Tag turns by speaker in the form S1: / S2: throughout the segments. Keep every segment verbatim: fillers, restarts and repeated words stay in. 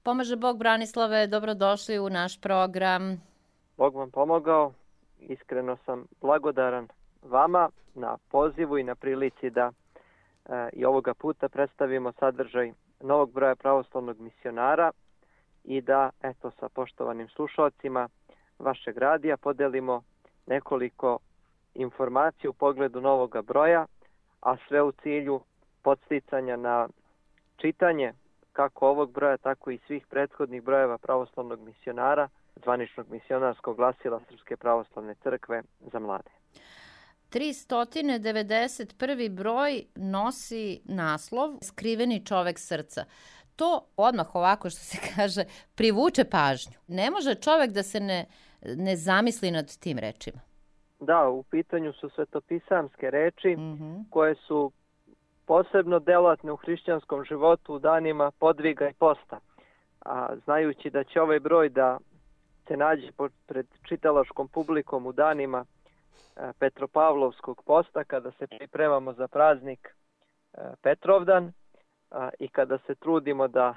S1: Pomaže Bog, Branislave, dobrodošli u naš program.
S2: Bog vam pomogao, iskreno sam blagodaran vama na pozivu i na prilici da e, i ovoga puta predstavimo sadržaj novog broja pravoslavnog misionara i da, eto, sa poštovanim slušalcima vašeg radija podelimo nekoliko informacija u pogledu novoga broja, a sve u cilju podsticanja na čitanje kako ovog broja, tako i svih prethodnih brojeva pravoslavnog misionara, zvaničnog misionarskog glasila Srpske pravoslavne crkve za mlade.
S1: tristo devedeset prvi broj nosi naslov Skriveni čovek srca. To odmah ovako, što se kaže, privuče pažnju. Ne može čovek da se ne, ne zamisli nad tim rečima.
S2: Da, u pitanju su svetopisamske reči
S1: Mm-hmm.
S2: koje su posebno delatne u hrišćanskom životu u danima podviga i posta. A znajući da će ovaj broj da se nađe pred čitalačkom publikom u danima e, Petropavlovskog posta, kada se pripremamo za praznik e, Petrovdan a, i kada se trudimo da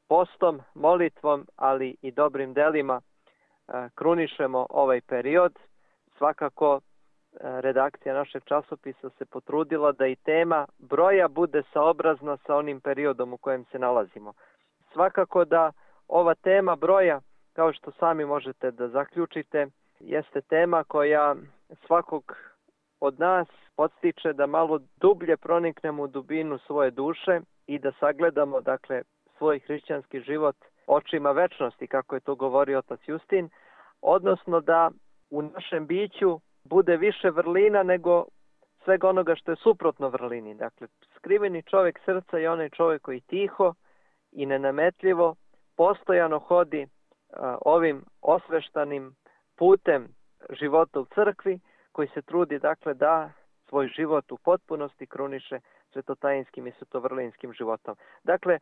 S2: postom, molitvom, ali i dobrim delima e, krunišemo ovaj period, svakako redakcija našeg časopisa se potrudila da i tema broja bude saobrazna sa onim periodom u kojem se nalazimo. Svakako da ova tema broja, kao što sami možete da zaključite, jeste tema koja svakog od nas podstiče da malo dublje proniknemo u dubinu svoje duše i da sagledamo, dakle, svoj hrišćanski život očima večnosti, kako je to govorio otac Justin, odnosno da u našem biću bude više vrlina nego svega onoga što je suprotno vrlini. Dakle, skriveni čovjek srca je onaj čovjek koji tiho i nenametljivo postojano hodi a, ovim osveštanim putem života u crkvi, koji se trudi, dakle, da svoj život u potpunosti kruniše svetotajinskim i svetovrlinskim životom. Dakle,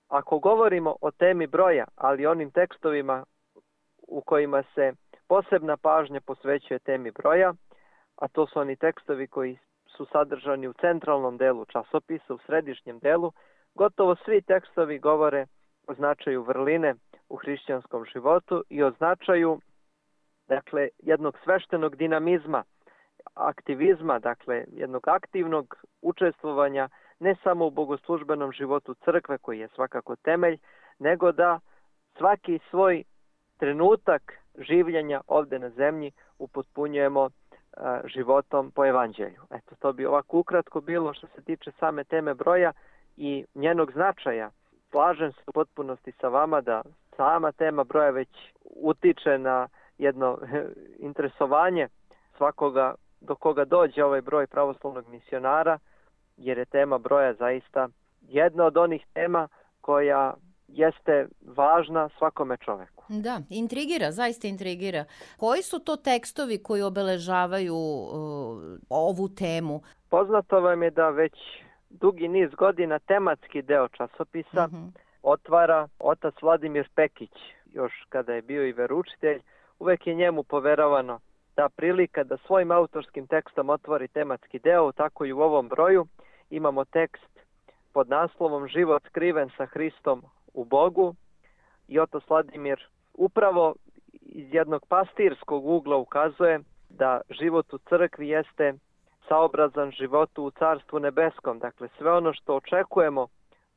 S2: ako govorimo o temi broja, ali onim tekstovima u kojima se posebna pažnja posvećuje temi broja, a to su oni tekstovi koji su sadržani u centralnom delu časopisa, u središnjem delu, gotovo svi tekstovi govore o značaju vrline u hrišćanskom životu i o značaju, dakle, jednog sveštenog dinamizma, aktivizma, dakle, jednog aktivnog učestvovanja ne samo u bogoslužbenom životu crkve, koji je svakako temelj, nego da svaki svoj trenutak življenja ovdje na zemlji upotpunjujemo a, životom po evanđelju. Eto, to bi ovako ukratko bilo što se tiče same teme broja i njenog značaja. Slažem se u potpunosti sa vama da sama tema broja već utiče na jedno interesovanje svakoga do koga dođe ovaj broj pravoslavnog misionara, jer je tema broja zaista jedna od onih tema koja jeste važna svakome čoveku.
S1: Da, intrigira, zaista intrigira. Koji su to tekstovi koji obeležavaju uh, ovu temu?
S2: Poznato vam je da već dugi niz godina tematski deo časopisa mm-hmm. otvara otac Vladimir Pekić. Još kada je bio i veroučitelj, uvek je njemu poveravano ta prilika da svojim autorskim tekstom otvori tematski deo, tako i u ovom broju. Imamo tekst pod naslovom Život skriven sa Hristom u Bogu i otac Vladimir upravo iz jednog pastirskog ugla ukazuje da život u crkvi jeste saobrazan životu u Carstvu nebeskom. Dakle, sve ono što očekujemo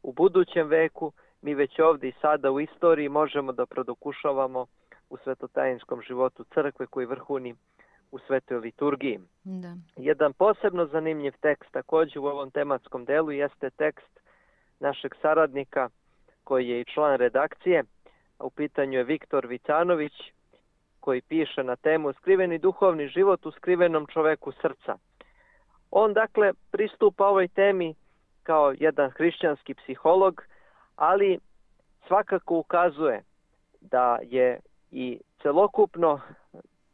S2: u budućem veku, mi već ovdje i sada u istoriji možemo da produkušavamo u svetotajinskom životu crkve koji vrhuni u svetoj liturgiji.
S1: Da.
S2: Jedan posebno zanimljiv tekst također u ovom tematskom delu jeste tekst našeg saradnika koji je i član redakcije. U pitanju je Viktor Vicanović, koji piše na temu Skriveni duhovni život u skrivenom čoveku srca. On, dakle, pristupa ovoj temi kao jedan hrišćanski psiholog, ali svakako ukazuje da je i celokupno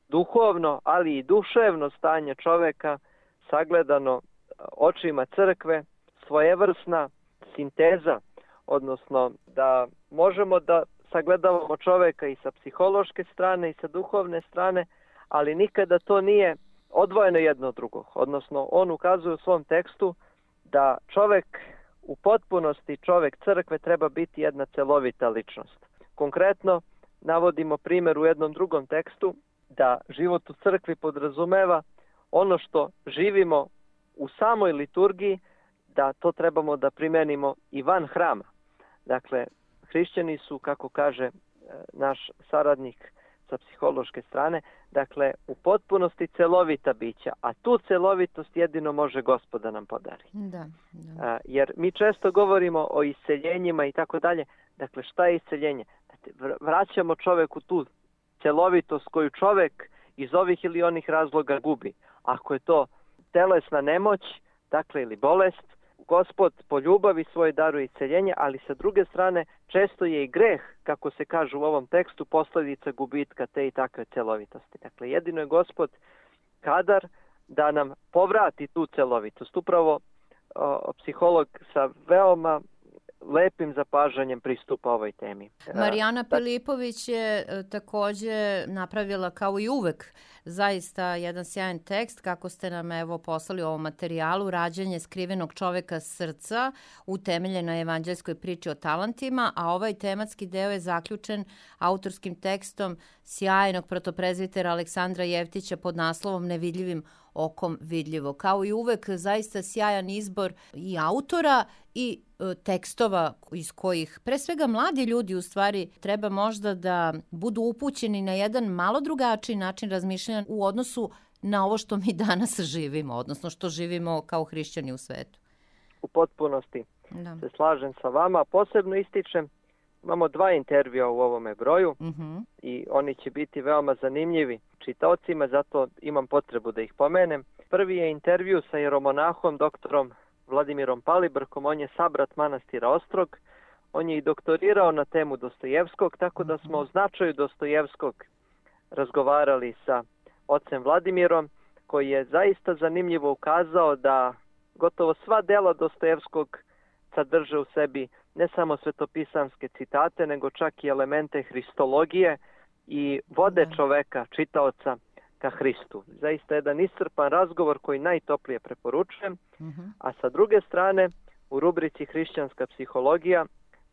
S2: duhovno, ali i duševno stanje čoveka sagledano očima crkve, svojevrsna sinteza, odnosno da možemo da sagledavamo čoveka i sa psihološke strane i sa duhovne strane, ali nikada to nije odvojeno jedno od drugog. Odnosno, on ukazuje u svom tekstu da čovek u potpunosti čovek crkve treba biti jedna celovita ličnost. Konkretno, navodimo primjer u jednom drugom tekstu da život u crkvi podrazumeva ono što živimo u samoj liturgiji, da to trebamo da primenimo i van hrama. Dakle, hrišćani su, kako kaže naš saradnik sa psihološke strane, dakle, u potpunosti celovita bića, a tu celovitost jedino može Gospod da nam podari.
S1: Da, da.
S2: Jer mi često govorimo o isceljenjima i tako dalje. Dakle, šta je isceljenje? Vraćamo čoveku tu celovitost koju čovek iz ovih ili onih razloga gubi. Ako je to telesna nemoć, dakle, ili bolest, Gospod po ljubavi svoje daruje isceljenje, ali sa druge strane često je i greh, kako se kaže u ovom tekstu, posljedica gubitka te i takve celovitosti. Dakle, jedino je Gospod kadar da nam povrati tu celovitost. Upravo o, psiholog sa veoma lepim zapažanjem pristupa ovoj temi.
S1: Marijana Pilipović je također napravila kao i uvek zaista jedan sjajan tekst, kako ste nam evo poslali u ovom materijalu, Rađanje skrivenog čoveka srca, utemeljen na evanđelskoj priči o talentima, a ovaj tematski deo je zaključen autorskim tekstom sjajnog protoprezvitera Aleksandra Jevtića pod naslovom Nevidljivim okom vidljivo. Kao i uvek, zaista sjajan izbor i autora i e, tekstova iz kojih pre svega mladi ljudi u stvari treba možda da budu upućeni na jedan malo drugačiji način razmišljanja u odnosu na ovo što mi danas živimo, odnosno što živimo kao hrišćani u svetu.
S2: U potpunosti da. Se slažem sa vama. Posebno ističem, imamo dva intervjua u ovome broju uh-huh. i oni će biti veoma zanimljivi čitaocima, zato imam potrebu da ih pomenem. Prvi je intervju sa jeromonahom doktorom Vladimirom Palibrkom, on je sabrat manastira Ostrog. On je i doktorirao na temu Dostojevskog, tako da smo o značaju Dostojevskog razgovarali sa ocem Vladimirom, koji je zaista zanimljivo ukazao da gotovo sva dela Dostojevskog sadrže u sebi ne samo svetopisamske citate, nego čak i elemente hristologije i vode čoveka, čitaoca, ka Hristu. Zaista jedan iscrpan razgovor koji najtoplije preporučujem. Uh-huh. A sa druge strane, u rubrici Hrišćanska psihologija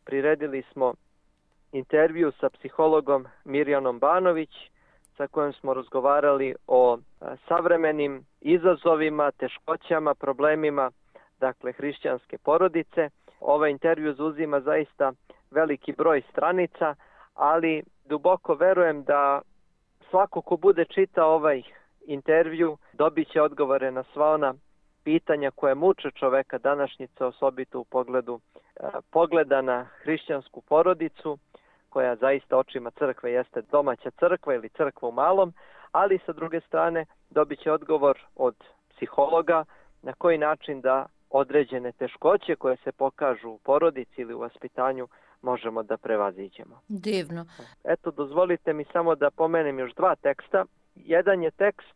S2: priredili smo intervju sa psihologom Mirjanom Banović, sa kojom smo razgovarali o a, savremenim izazovima, teškoćama, problemima, dakle, hrišćanske porodice. Ovaj intervju zauzima zaista veliki broj stranica, ali duboko verujem da svako ko bude čitao ovaj intervju dobit će odgovore na sva ona pitanja koje muče čoveka današnjice, osobito u pogledu e, pogleda na hrišćansku porodicu, koja zaista očima crkve jeste domaća crkva ili crkva u malom, ali sa druge strane dobit će odgovor od psihologa na koji način da određene teškoće koje se pokažu u porodici ili u vaspitanju možemo da prevaziđemo.
S1: Divno.
S2: Eto, dozvolite mi samo da pomenem još dva teksta. Jedan je tekst,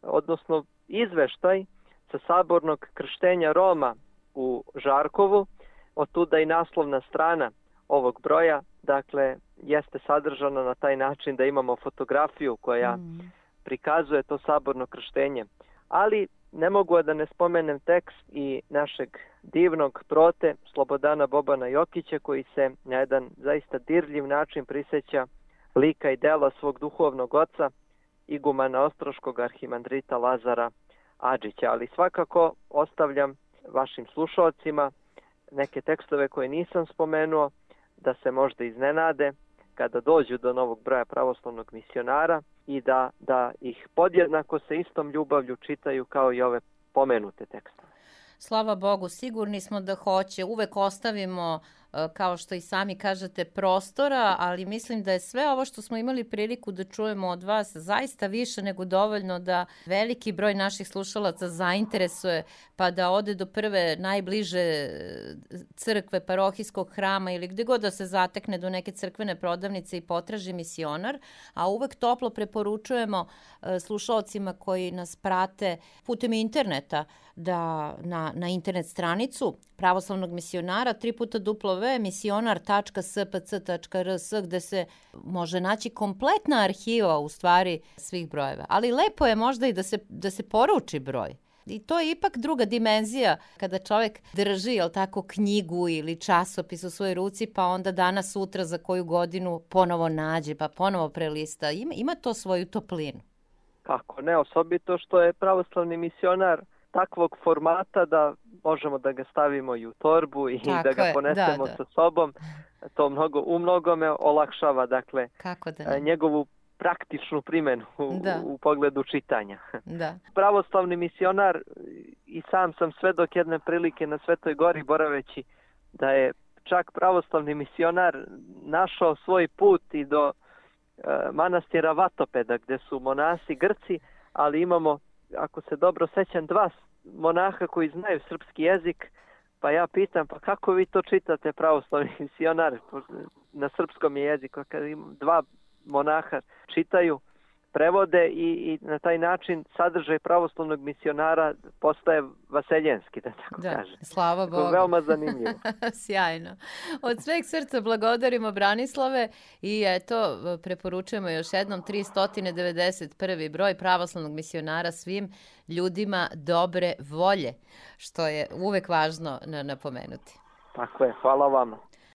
S2: odnosno izveštaj sa sabornog krštenja Roma u Žarkovu, otuda i naslovna strana ovog broja, dakle, jeste sadržana na taj način da imamo fotografiju koja mm. prikazuje to saborno krštenje. Ali ne mogu da ne spomenem tekst i našeg divnog prote Slobodana Bobana Jokića, koji se na jedan zaista dirljiv način prisjeća lika i dela svog duhovnog oca, igumana ostroškog arhimandrita Lazara Adžića. Ali svakako ostavljam vašim slušalcima neke tekstove koje nisam spomenuo, da se možda iznenade kada dođu do novog broja pravoslavnog misionara i da, da ih podjednako sa istom ljubavlju čitaju kao i ove pomenute tekstove.
S1: Slava Bogu, sigurni smo da hoće. Uvek ostavimo, kao što i sami kažete, prostora, ali mislim da je sve ovo što smo imali priliku da čujemo od vas zaista više nego dovoljno da veliki broj naših slušalaca zainteresuje, pa da ode do prve najbliže crkve, parohijskog hrama ili gde god da se zatekne do neke crkvene prodavnice i potraži misionar, a uvek toplo preporučujemo slušalcima koji nas prate putem interneta da na, na internet stranicu pravoslavnog misionara tri puta duplo ve misionar tačka s p c tačka r s gde se može naći kompletna arhiva u stvari svih brojeva. Ali lepo je možda i da se, da se poruči broj. I to je ipak druga dimenzija kada čovjek drži, jel tako, knjigu ili časopis u svojoj ruci, pa onda danas, sutra, za koju godinu ponovo nađe, pa ponovo prelista. Ima, ima to svoju toplinu.
S2: Kako ne, osobito što je pravoslavni misionar takvog formata da možemo da ga stavimo i u torbu i
S1: Tako
S2: da ga
S1: je,
S2: ponesemo
S1: da, da.
S2: sa sobom. To mnogo, u mnogome olakšava, dakle,
S1: Kako da ne?
S2: njegovu praktičnu primjenu u,
S1: Da.
S2: u pogledu čitanja.
S1: Da.
S2: Pravoslavni misionar, i sam sam svedok jedne prilike na Svetoj Gori boraveći, da je čak pravoslavni misionar našao svoj put i do e, manastira Vatopeda, gdje su monasi Grci, ali imamo, ako se dobro sećam, dva monaha koji znaju srpski jezik, pa ja pitam, pa kako vi to čitate, pravoslavni misionar, na srpskom je jeziku, kad dva monaha čitaju, prevode i, i na taj način sadržaj pravoslavnog misionara postaje vaseljenski, da tako
S1: Da,
S2: kaže.
S1: slava
S2: To je
S1: Bogu.
S2: veoma zanimljivo.
S1: Sjajno. Od sveg srca blagodarimo, Branislave, i eto, preporučujemo još jednom tristo devedeset prvi broj pravoslavnog misionara svim ljudima dobre volje, što je uvek važno napomenuti.
S2: Tako je, hvala vama.